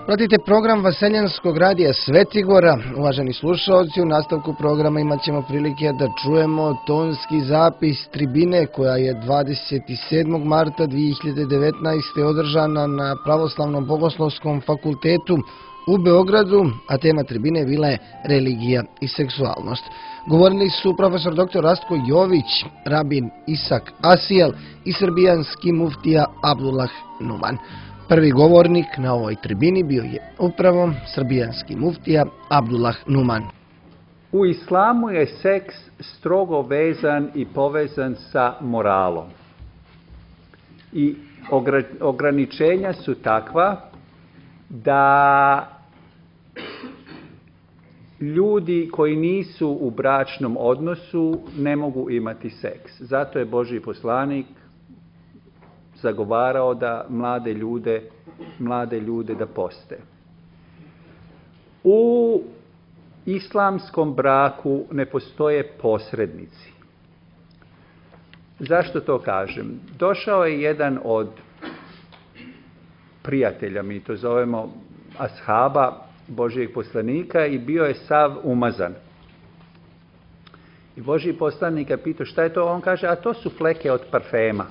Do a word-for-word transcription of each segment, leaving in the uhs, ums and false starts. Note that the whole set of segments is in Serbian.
Pratite program Vaseljanskog radija Svetigora. Uvaženi slušalci, u nastavku programa imat ćemo prilike da čujemo tonski zapis tribine koja je dvadeset sedmog marta dvije hiljade devetnaeste. održana na Pravoslavnom bogoslovskom fakultetu u Beogradu, a tema tribine bila je religija i seksualnost. Govorili su profesor doktor Rastko Jović, rabin Isak Asijel i srbijanski muftija Abdullah Numan. Prvi govornik na ovoj tribini bio je upravo srbijanski muftija Abdullah Numan. U islamu je seks strogo vezan i povezan sa moralom. I ograničenja su takva da ljudi koji nisu u bračnom odnosu ne mogu imati seks. Zato je Božji poslanik zagovarao da mlade ljude, mlade ljude da poste. U islamskom braku ne postoje posrednici. Zašto to kažem? Došao je jedan od prijatelja, mi to zovemo ashaba Božjeg poslanika, i bio je sav umazan. I Božji poslanik je pitao šta je to, on kaže, a to su fleke od parfema.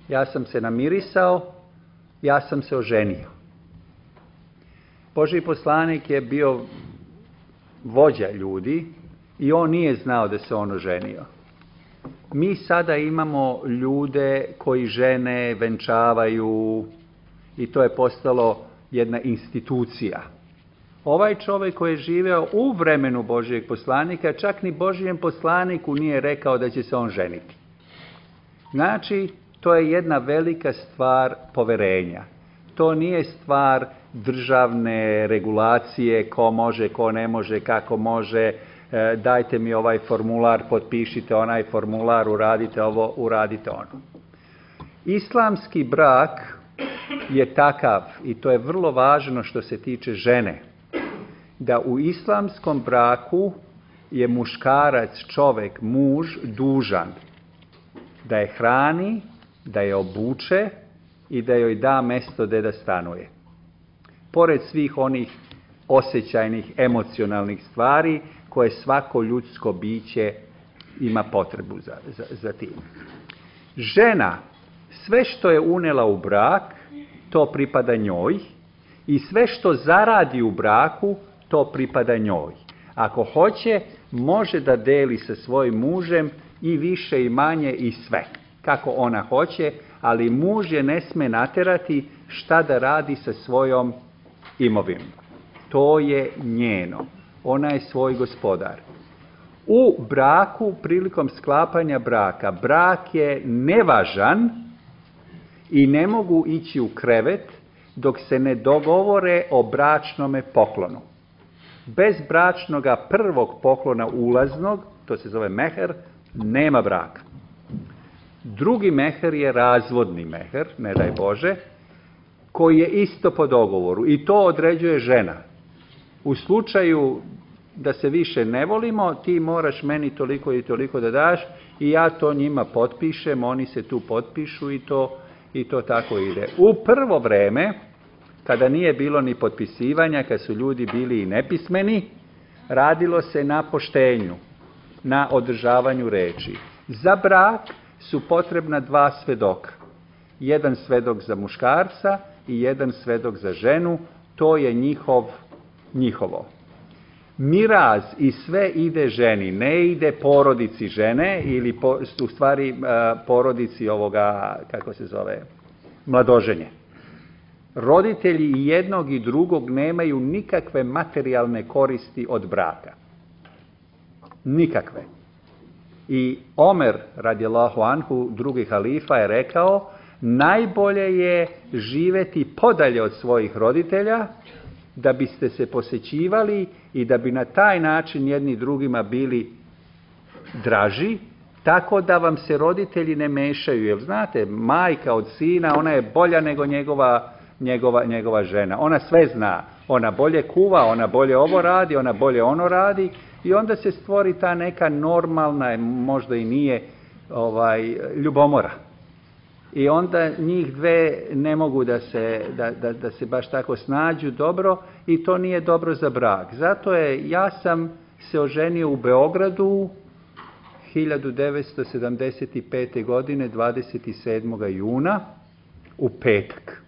Ja sam se namirisao, ja sam se oženio. Božji poslanik je bio vođa ljudi i on nije znao da se on oženio. Mi sada imamo ljude koji žene venčavaju i to je postalo jedna institucija. Ovaj čovjek koji je živeo u vremenu Božjeg poslanika, čak ni Božjem poslaniku nije rekao da će se on ženiti. Znači, to je jedna velika stvar poverenja. To nije stvar državne regulacije, ko može, ko ne može, kako može, e, dajte mi ovaj formular, potpišite onaj formular, uradite ovo, uradite ono. Islamski brak je takav, i to je vrlo važno što se tiče žene, da u islamskom braku je muškarac, čovjek, muž, dužan da je hrani, da je obuče i da joj da mjesto gdje da stanuje. Pored svih onih osjećajnih, emocionalnih stvari koje svako ljudsko biće ima potrebu za, za, za tim. Žena, sve što je unela u brak, to pripada njoj, i sve što zaradi u braku, to pripada njoj. Ako hoće, može da deli sa svojim mužem i više i manje i sve, kako ona hoće, ali muž je ne sme naterati šta da radi sa svojom imovinom. To je njeno. Ona je svoj gospodar. U braku, prilikom sklapanja braka, brak je nevažan i ne mogu ići u krevet dok se ne dogovore o bračnome poklonu. Bez bračnoga prvog poklona ulaznog, to se zove meher, nema braka. Drugi meher je razvodni meher, ne daj Bože, koji je isto po dogovoru i to određuje žena. U slučaju da se više ne volimo, ti moraš meni toliko i toliko da daš i ja to njima potpišem, oni se tu potpišu i to, i to tako ide. U prvo vreme, kada nije bilo ni potpisivanja, kad su ljudi bili i nepismeni, radilo se na poštenju, na održavanju reči. Za brak su potrebna dva svedoka. Jedan svedok za muškarca i jedan svedok za ženu, to je njihov, njihovo. Miraz i sve ide ženi, ne ide porodici žene ili po, u stvari porodici ovoga, kako se zove, mladoženje. Roditelji i jednog i drugog nemaju nikakve materijalne koristi od braka. Nikakve. I Omer, radijallahu anhu, drugi halifa, je rekao, najbolje je živjeti podalje od svojih roditelja, da biste se posjećivali i da bi na taj način jedni drugima bili draži, tako da vam se roditelji ne mešaju. Jer znate, majka od sina, ona je bolja nego njegova, njegova, njegova žena. Ona sve zna. Ona bolje kuva, ona bolje ovo radi, ona bolje ono radi. I onda se stvori ta neka normalna, možda i nije, ovaj, ljubomora. i onda njih dve ne mogu da se, da, da, da se baš tako snađu dobro i to nije dobro za brak. Zato je, ja sam se oženio u Beogradu hiljadu devetsto sedamdeset pete. godine, dvadeset sedmog juna, u petak.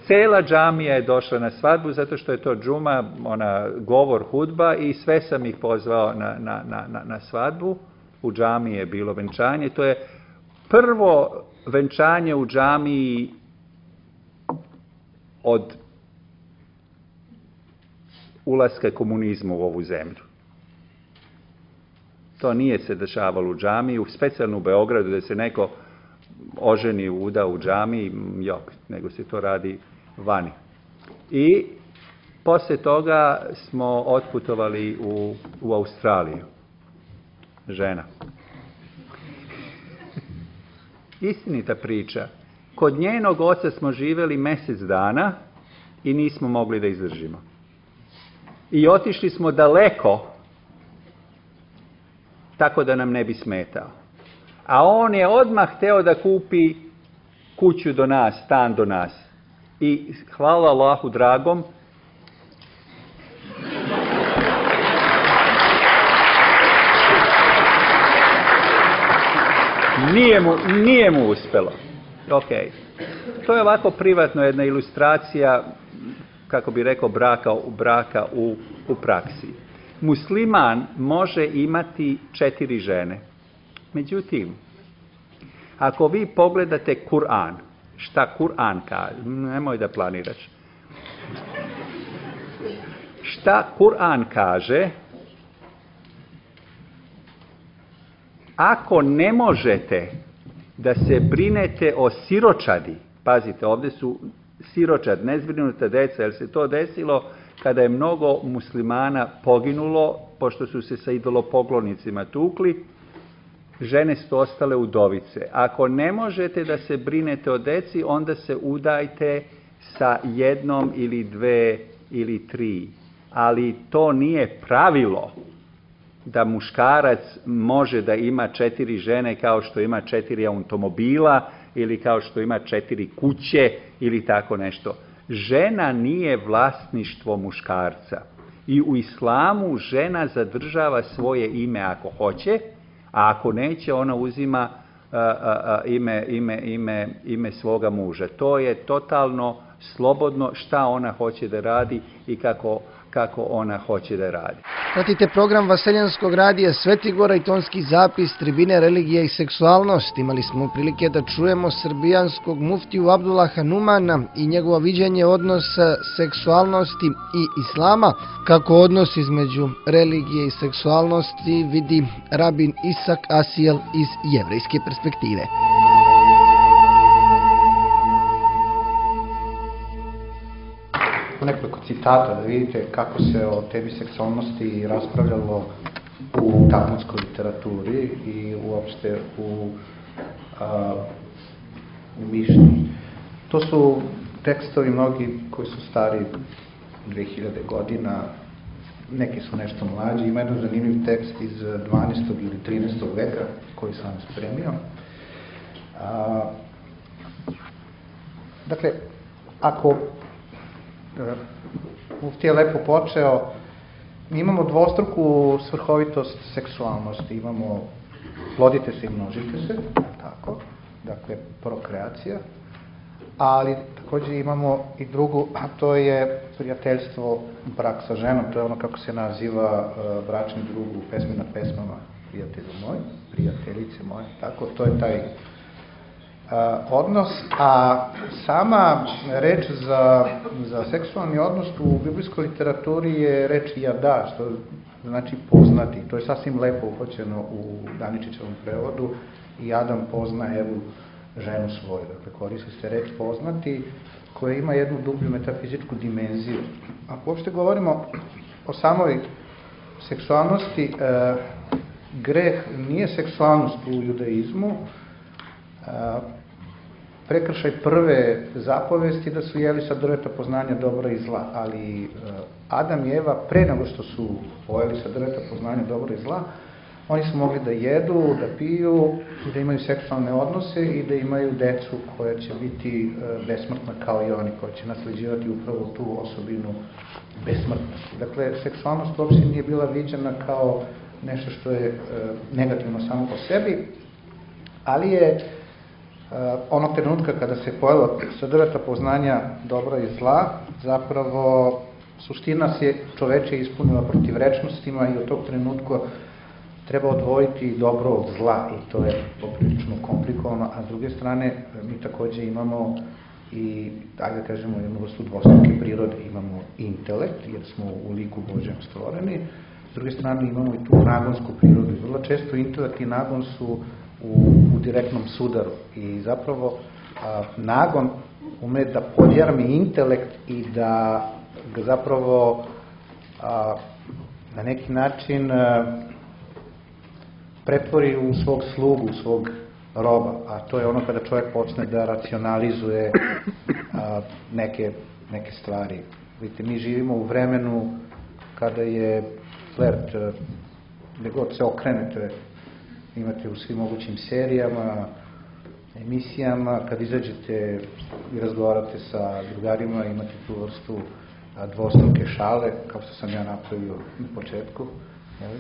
Cela džamija je došla na svadbu, zato što je to džuma, ona govor, hudba, i sve sam ih pozvao na, na, na, na svadbu. U džamiji je bilo venčanje. To je prvo venčanje u džamiji od ulaska komunizma u ovu zemlju. To nije se dešavalo u džamiji, specijalno u Beogradu, da se neko oženi, uda u džamiji, jok, nego se to radi vani. I posle toga smo otputovali u, u Australiju. Žena. Istinita priča. Kod njenog oca smo živjeli mjesec dana i nismo mogli da izdržimo. I otišli smo daleko, tako da nam ne bi smetao. A on je odmah hteo da kupi kuću do nas, stan do nas. I hvala Allahu dragom, nije mu, nije mu uspelo. Ok. To je ovako privatno jedna ilustracija, kako bi rekao, braka, braka u, u praksi. Musliman može imati četiri žene. Međutim, ako vi pogledate Kur'an, šta Kur'an kaže, nemoj da planiraš. Šta Kur'an kaže, ako ne možete da se brinete o siročadi, pazite, ovdje su siročad, nezbrinuta deca, jer se to desilo kada je mnogo muslimana poginulo, pošto su se sa idolopoklonicima tukli, žene su ostale udovice. Ako ne možete da se brinete o deci, onda se udajte sa jednom ili dve ili tri. Ali to nije pravilo da muškarac može da ima četiri žene kao što ima četiri automobila ili kao što ima četiri kuće ili tako nešto. Žena nije vlasništvo muškarca. I u islamu žena zadržava svoje ime ako hoće, a ako neće, ona uzima a, a, a, ime, ime, ime, ime svoga muža. To je totalno slobodno šta ona hoće da radi i kako, kako ona hoće da radi. Pratite program Vaseljanskog radija Svetigora i tonski zapis Tribine religije i seksualnost. Imali smo prilike da čujemo srbijanskog muftiju Abdullaha Numana i njegovo viđenje odnosa seksualnosti i islama, kako odnos između religije i seksualnosti vidi rabin Isak Asijel iz jevrejske perspektive. Nekoliko citata da vidite kako se o temi seksualnosti raspravljalo u talmudskoj literaturi i uopšte u, a, u mišlji. To su tekstovi mnogi koji su stari dve hiljade godina, neki su nešto mlađi. Ima jedan zanimljiv tekst iz dvanaestog ili trinaestog veka koji sam spremio. A, dakle, ako Mufti je lepo počeo, mi imamo dvostruku svrhovitost seksualnosti, imamo plodite se i množite se, tako, dakle prokreacija, ali također imamo i drugu, a to je prijateljstvo, brak sa ženom, to je ono kako se naziva uh, bračni drug u pesmi na pesmama, prijatelju moj, prijateljice moje, tako, to je taj odnos, a sama reč za, za seksualni odnos u biblijskoj literaturi je reč jada, što znači poznati. To je sasvim lepo uhoćeno u Daničićevom prevodu i Adam pozna Evu, ženu svoju. Dakle, koristi se reč poznati koja ima jednu dublju metafizičku dimenziju. Ako uopšte govorimo o samoj seksualnosti, e, greh nije seksualnost u judaizmu. E, prekršaj prve zapovesti da su jeli sa drveta poznanja dobra i zla, ali Adam i Eva pre nego što su pojeli sa drveta poznanja dobra i zla, Oni su mogli da jedu, da piju, da imaju seksualne odnose i da imaju decu koja će biti besmrtna kao i oni, koja će nasleđivati upravo tu osobinu besmrtnosti. Dakle, seksualnost uopšte nije bila viđena kao nešto što je negativno samo po sebi, ali je onog trenutka kada se pojela sadržata poznanja dobra i zla, zapravo suština se čoveče ispunila protivrečnostima i od tog trenutka treba odvojiti dobro od zla i to je poprilično komplikovano, a s druge strane mi takođe imamo i, ajde da kažemo, jednu vrstu dvostruke prirode, imamo intelekt, jer smo u liku Božjem stvoreni, s druge strane imamo i tu nagonsku prirodu. Vrlo često intelekt i nagon su u, u direktnom sudaru i zapravo a, nagon ume da podjarmi intelekt i da ga zapravo a, na neki način a, pretvori u svog slugu, u svog roba, a to je ono kada čovjek počne da racionalizuje a, neke, neke stvari. Vidite, mi živimo u vremenu kada je flert, gde god se okrenete, imate u svim mogućim serijama, emisijama, kad izađete i razgovarate sa drugarima, imate tu vrstu a, dvostruke šale, kao što sam ja napravio na početku. Jel?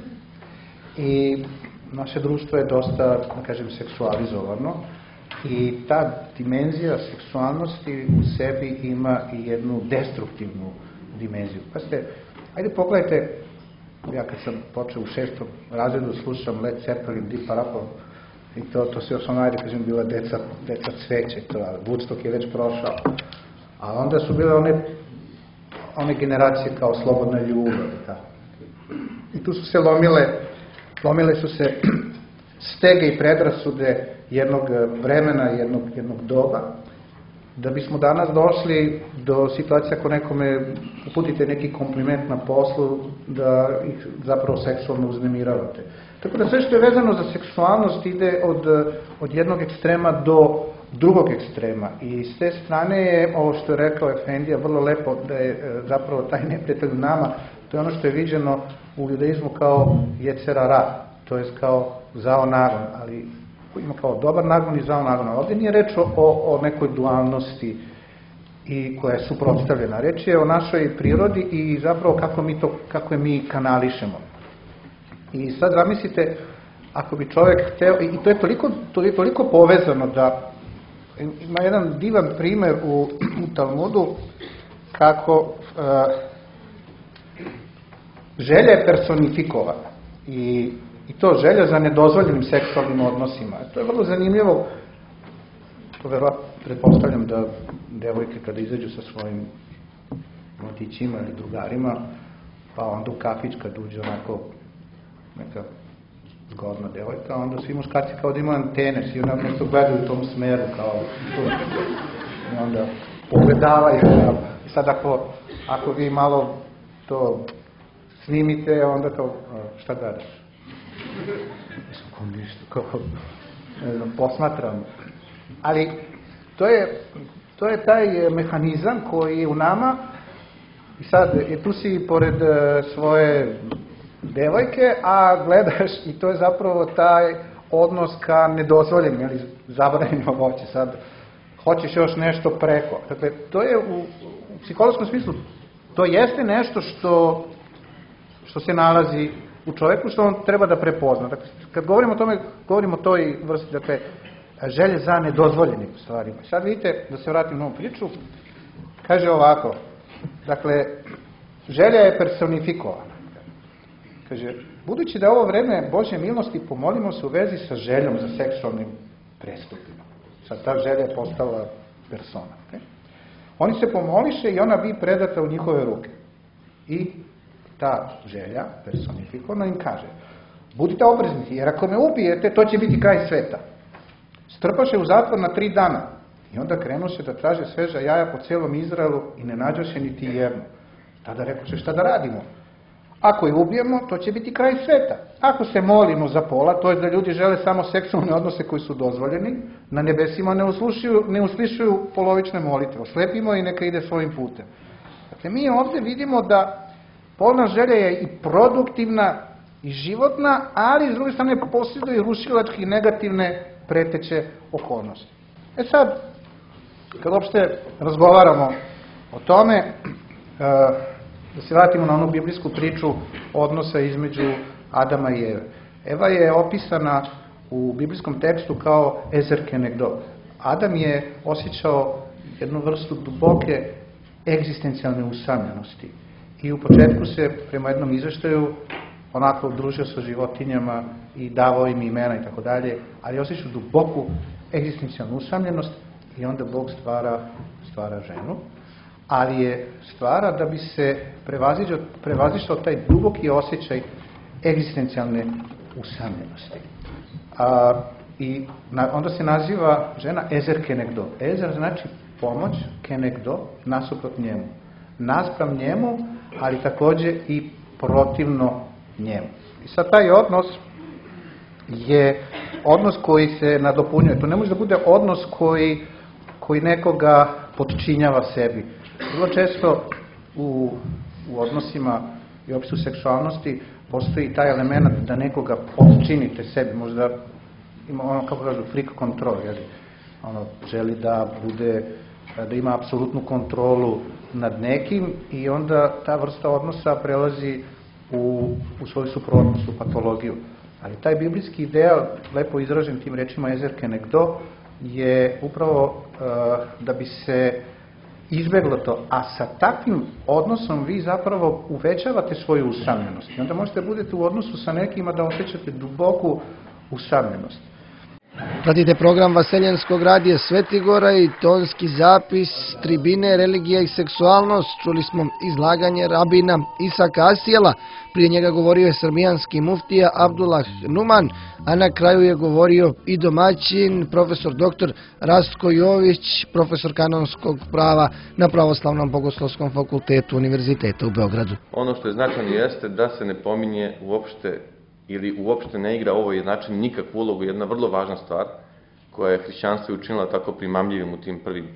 I naše društvo je dosta, da kažem, seksualizovano i ta dimenzija seksualnosti u sebi ima i jednu destruktivnu dimenziju. Pa ste, ajde pogledajte, ja kad sam počeo u šestom razredu slušam Led Zeppelin, Deep Purple i to, to se još ono, ajde kažem, bila deca, deca cveće, to, Woodstock je već prošao, a onda su bile one, one generacije kao Slobodna ljubav, tako. I tu su se lomile Lomile su se stege i predrasude jednog vremena, jednog, jednog doba, da bismo danas došli do situacije ako nekome uputite neki kompliment na poslu, da ih zapravo seksualno uznemiravate. Tako da sve što je vezano za seksualnost ide od, od jednog ekstrema do drugog ekstrema. I s te strane je, ovo što je rekao Efendija, vrlo lepo da je zapravo taj neprijatelj u nama, to je ono što je viđeno u judaizmu kao jecera ra, to je kao zao nagon, ali ima kao dobar nagon i zao nagon. Ovdje nije reč o, o nekoj dualnosti i koja je suprotstavljena. Reč je o našoj prirodi i zapravo kako mi to, kako je mi kanališemo. I sad zamislite, ako bi čovjek hteo, i to je toliko, toliko, toliko povezano da ima jedan divan primer u, u Talmudu kako uh, želja je personifikovana i, i to želja za nedozvoljenim seksualnim odnosima. To je vrlo zanimljivo, to verovatno pretpostavljam da devojke kada izađu sa svojim mladićima ili drugarima, pa onda u kafić kad uđe onako neka zgodna devojka, onda svi muškarci kao da imaju antene, svi onako nešto gledaju u tom smeru, kao to. I onda pogledavaju. I sad ako, ako vi malo to snimite, onda kao, šta gledaš? Kao ništa, kao, ne znam, posmatram. Ali to je, to je taj mehanizam koji je u nama i sad, je tu si pored svoje devojke, a gledaš i to je zapravo taj odnos ka nedozvoljenim ili zabranjenim voće. Sad, hoćeš još nešto preko. Dakle, to je u, u psihološkom smislu, to jeste nešto što, što se nalazi u čoveku, što on treba da prepozna. Dakle, kad govorimo o tome, govorimo o toj vrsti, dakle, želje za nedozvoljenim stvarima. Sad vidite, da se vratim na ovu priču, kaže ovako, dakle, želja je personifikovana. Kaže, budući da je ovo vreme Božje milosti, pomolimo se u vezi sa željom za seksualnim prestupima. Sad ta želja je postala persona. Okay? Oni se pomoliše i ona bi predata u njihove ruke. I ta želja, personifikovana, im kaže, budite oprezni, jer ako me ubijete, to će biti kraj sveta. Strpaše u zatvor na tri dana i onda krenuše da traže sveža jaja po celom Izraelu i ne nađoše niti jedno. Tada rekoše, šta da radimo? Ako je ubijemo, to će biti kraj sveta. Ako se molimo za pola, to je da ljudi žele samo seksualne odnose koji su dozvoljeni, na nebesima ne uslušuju, ne uslišuju polovične molitve. Oslepimo i neka ide svojim putem. Dakle, mi ovdje vidimo da polna želja je i produktivna i životna, ali s druge strane posjeduje i rušilačke i negativne preteće okolnosti. E sad, kad uopšte razgovaramo o tome, da se vratimo na onu biblijsku priču odnosa između Adama i Eve. Eva je opisana u biblijskom tekstu kao ezer kenegdo. Adam je osjećao jednu vrstu duboke egzistencijalne usamljenosti i u početku se prema jednom izveštaju onako družio sa životinjama i davao im imena i tako dalje, ali je osjećao duboku egzistencijalnu usamljenost i onda Bog stvara, stvara ženu, ali je stvara da bi se prevazišao taj duboki osjećaj egzistencijalne usamljenosti. A, I na, onda se naziva žena ezer kenegdo. Ezer znači pomoć, kenegdo, nasuprot njemu. Naspram njemu, ali takođe i protivno njemu. I sad taj odnos je odnos koji se nadopunjuje. To ne može da bude odnos koji, koji nekoga potčinjava sebi. Vrlo često u, u odnosima i uopšte u seksualnosti postoji taj element da nekoga potčinite sebi. Možda ima ono, kako kažu, freak control, jeli? Ono, želi da bude, da ima apsolutnu kontrolu nad nekim i onda ta vrsta odnosa prelazi u, u svoju suprotnost, u patologiju. Ali taj biblijski ideal, lepo izražen tim rečima ezer kenegdo, je upravo uh, da bi se izbeglo to. A sa takvim odnosom vi zapravo uvećavate svoju usamljenost. I onda možete budete u odnosu sa nekima da osjećate duboku usamljenost. Pratite program Vaseljenskog radija Svetigora i tonski zapis Tribine, religija i seksualnost. Čuli smo izlaganje rabina Isaka Asijela. Prije njega govorio je srbijanski muftija Abdullah Numan, a na kraju je govorio i domaćin, profesor doktor Rastko Jović, profesor kanonskog prava na Pravoslavnom bogoslovskom fakultetu Univerziteta u Beogradu. Ono što je značajno jeste da se ne pominje uopšte ili uopšte ne igra ovo način nikakvu ulogu, jedna vrlo važna stvar koja je hrišćanstvo učinila tako primamljivim u tim prvim e,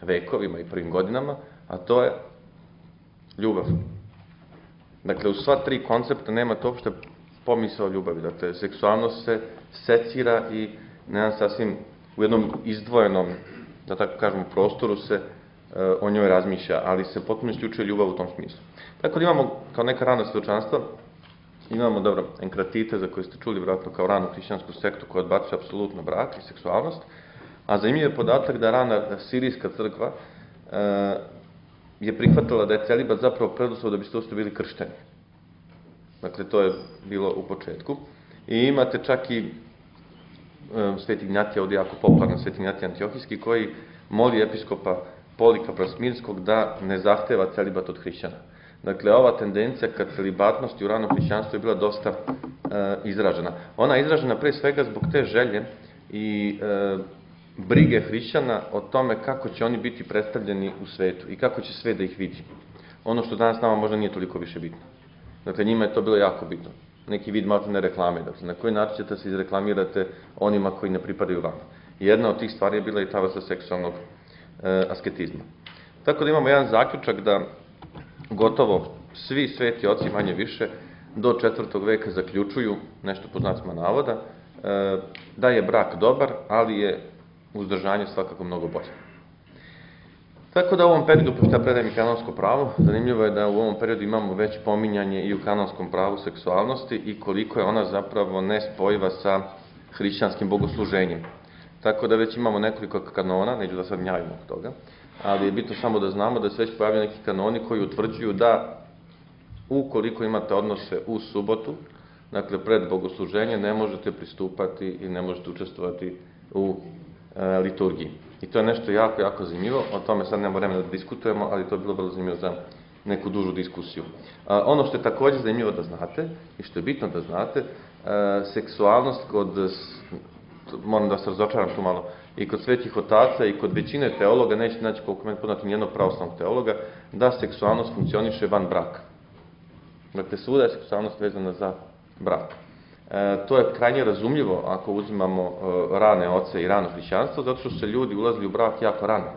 vekovima i prvim godinama, a to je ljubav. Dakle, u sva tri koncepta nemate uopšte pomisao ljubavi. Dakle, seksualnost se secira i na jedan sasvim u jednom izdvojenom, da tako kažemo, prostoru se e, o njoj razmišlja, ali se potpuno isključuje ljubav u tom smislu. Tako da imamo, kao neka rana svedočanstva, imamo, dobro, enkratite za koje ste čuli vjerojatno kao ranu hrišćansku sektu koja odbacuje apsolutno brak i seksualnost, a zanimljiv je podatak da rana sirijska crkva e, je prihvatila da je celibat zapravo preduslov da biste uopšte bili kršteni. Dakle, to je bilo u početku. I imate čak i e, Sveti Ignjatija, ovdje jako popularno Sveti Ignjatija Antiohijski, koji moli episkopa Polika Brasmirskog da ne zahteva celibat od hrišćana. Dakle, ova tendencija ka celibatnosti u ranom hrišćanstvu je bila dosta e, izražena. Ona je izražena pre svega zbog te želje i e, brige hrišćana o tome kako će oni biti predstavljeni u svetu i kako će svet da ih vidi. Ono što danas nama možda nije toliko više bitno. Dakle, njima je to bilo jako bitno. Neki vid malo ne reklame. Dakle, na koji način ćete se izreklamirate onima koji ne pripadaju vama. Jedna od tih stvari je bila i ta vrsta seksualnog e, asketizma. Tako da imamo jedan zaključak da gotovo svi sveti oci manje više do četvrtog veka zaključuju, nešto po znacima navoda, da je brak dobar, ali je uzdržanje svakako mnogo bolje. Tako da u ovom periodu, pošto ja predajem i kanonsko pravo, zanimljivo je da u ovom periodu imamo već pominjanje i u kanonskom pravu seksualnosti i koliko je ona zapravo nespojiva sa hrišćanskim bogosluženjem. Tako da već imamo nekoliko kanona, neću da sad gnjavim oko toga, ali je bitno samo da znamo da se već pojavljaju neki kanoni koji utvrđuju da ukoliko imate odnose u subotu, dakle pred bogosluženje, ne možete pristupati i ne možete učestvovati u e, liturgiji. I to je nešto jako, jako zanimljivo, o tome sad nemamo vremena da diskutujemo, ali to je bilo vrlo zanimljivo za neku dužu diskusiju. A, ono što je također zanimljivo da znate, i što je bitno da znate, e, seksualnost kod, moram da se razočaram tu malo, i kod svetih otaca i kod većine teologa, nećete naći koliko meni poznati nijednog pravoslavnog teologa, da seksualnost funkcioniše van braka. Dakle, svuda je seksualnost vezana za brak. E, to je krajnje razumljivo ako uzimamo e, rane oce i rano hrišćanstvo, zato što se ljudi ulazili u brak jako rano.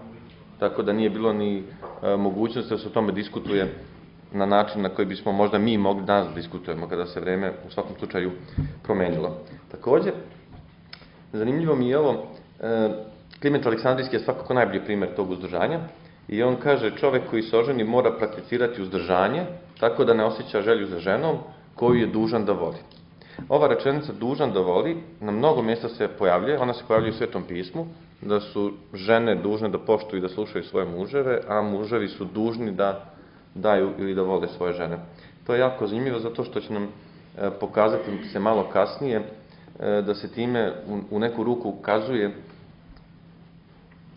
Tako da nije bilo ni e, mogućnosti da se o tome diskutuje na način na koji bismo možda mi mogli danas diskutujemo kada se vreme u svakom slučaju promenilo. Također, zanimljivo mi je ovo, Kliment Aleksandrijski je svakako najbolji primjer tog uzdržanja i on kaže čovek koji se oženi mora prakticirati uzdržanje tako da ne osjeća želju za ženom koju je dužan da voli. Ova rečenica dužan da voli na mnogo mjesta se pojavljuje, ona se pojavljuje u Svetom pismu, da su žene dužne da poštuju i da slušaju svoje muževe, a muževi su dužni da daju ili da vole svoje žene. To je jako zanimljivo zato što će nam pokazati se malo kasnije da se time u neku ruku ukazuje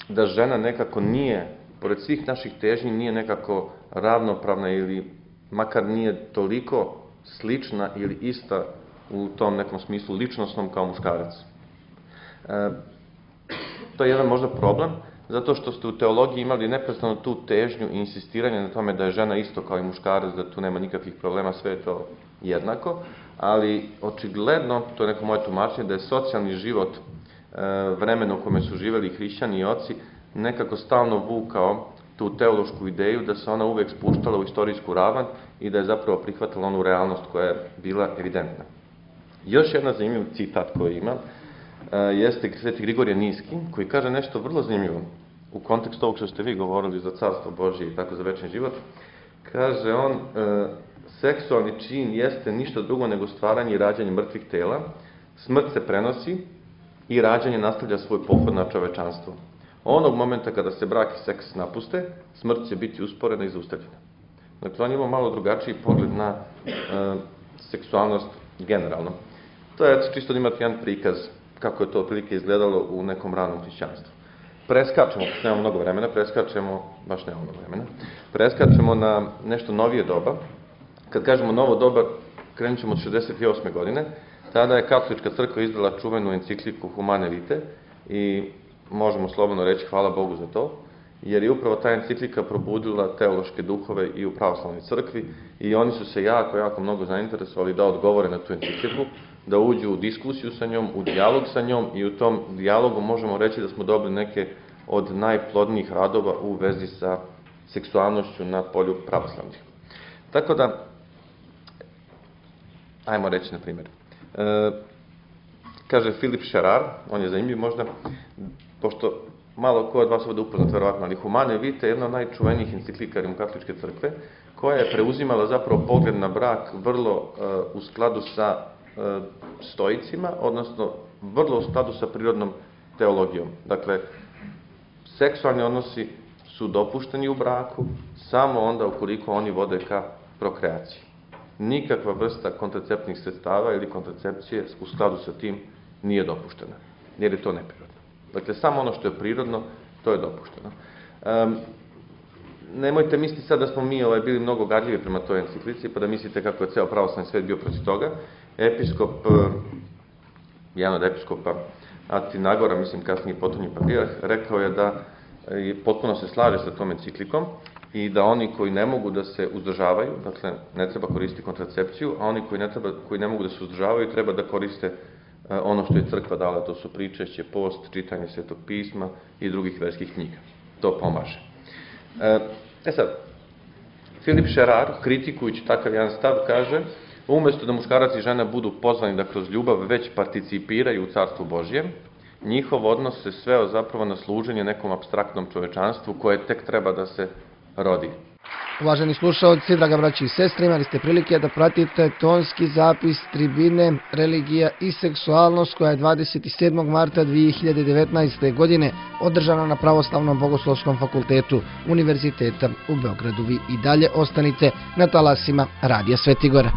da žena nekako nije, pored svih naših težnji, nije nekako ravnopravna ili makar nije toliko slična ili ista u tom nekom smislu ličnostnom kao muškarac. E, to je jedan možda problem, zato što ste u teologiji imali neprestano tu težnju i insistiranje na tome da je žena isto kao i muškarac, da tu nema nikakvih problema, sve je to jednako, ali očigledno, to je neko moje tumačenje, da je socijalni život e, vremena u kome su živeli hrišćani i oci nekako stalno vukao tu teološku ideju da se ona uvek spuštala u istorijsku ravan i da je zapravo prihvatila onu realnost koja je bila evidentna. Još jedna zanimljiv citat koji ima jeste Sveti Grigorije Niski, koji kaže nešto vrlo zanimljivo u kontekstu ovog što ste vi govorili za carstvo Božje i tako za večni život. Kaže on, seksualni čin jeste ništa drugo nego stvaranje i rađanje mrtvih tela, smrt se prenosi i rađanje nastavlja svoj pohod na čovečanstvo. Onog momenta kada se brak i seks napuste, smrt će biti usporena i zaustavljena. Dakle, on ima malo drugačiji pogled na e, seksualnost generalno. To je čisto da imate jedan prikaz kako je to otprilike izgledalo u nekom ranom hrišćanstvu. Preskačemo, nemamo mnogo vremena, preskačemo, baš nemamo mnogo vremena, preskačemo na nešto novije doba. Kad kažemo novo doba, krenut ćemo od šezdeset osme godine, tada je Katolička crkva izdala čuvenu encikliku Humane Vitae i možemo slobodno reći hvala Bogu za to, jer je upravo ta enciklika probudila teološke duhove i u pravoslavnoj crkvi i oni su se jako, jako mnogo zainteresovali da odgovore na tu encikliku, da uđu u diskusiju sa njom, u dijalog sa njom i u tom dijalogu možemo reći da smo dobili neke od najplodnijih radova u vezi sa seksualnošću na polju pravoslavnih. Tako da, ajmo reći na primjer, e, kaže Filip Šerar, on je zanimljiv možda, pošto malo ko od vas ovdje upoznat verovatno, ali Humane Vitae je jedna od najčuvenijih enciklika Rimokatoličke crkve, koja je preuzimala zapravo pogled na brak vrlo uh, u skladu sa uh, stoicima, odnosno vrlo u skladu sa prirodnom teologijom. Dakle, seksualni odnosi su dopušteni u braku samo onda ukoliko oni vode ka prokreaciji. Nikakva vrsta kontraceptnih sredstava ili kontracepcije u skladu sa tim nije dopuštena, jer je to neprirodno. Dakle, samo ono što je prirodno, to je dopušteno. Um, nemojte misliti sad da smo mi ovaj, bili mnogo gadljivi prema toj enciklici, pa da mislite kako je ceo pravoslavni svet bio protiv toga. Episkop, jedan od episkopa Atinagora, mislim kasnije potonji patrijarh, rekao je da je, potpuno se slaže sa tom enciklikom i da oni koji ne mogu da se uzdržavaju, dakle, ne treba koristiti kontracepciju, a oni koji ne, treba, koji ne mogu da se uzdržavaju, treba da koriste ono što je crkva dala, to su pričešće, post, čitanje Svetog pisma i drugih verskih knjiga. To pomaže. E sad, Filip Šerar, kritikujući takav jedan stav, kaže, umjesto da muškarac i žena budu pozvani da kroz ljubav već participiraju u Carstvu Božjem, njihov odnos se sveo zapravo na služenje nekom apstraktnom čovečanstvu koje tek treba da se rodi. Uvaženi slušalci, draga braći i sestre, imali ste prilike da pratite tonski zapis tribine Religija i seksualnost koja je dvadeset sedmog marta dve hiljade devetnaeste. godine održana na Pravoslavnom bogoslovskom fakultetu Univerziteta u Beogradu. Vi i dalje ostanite na talasima Radija Svetigora.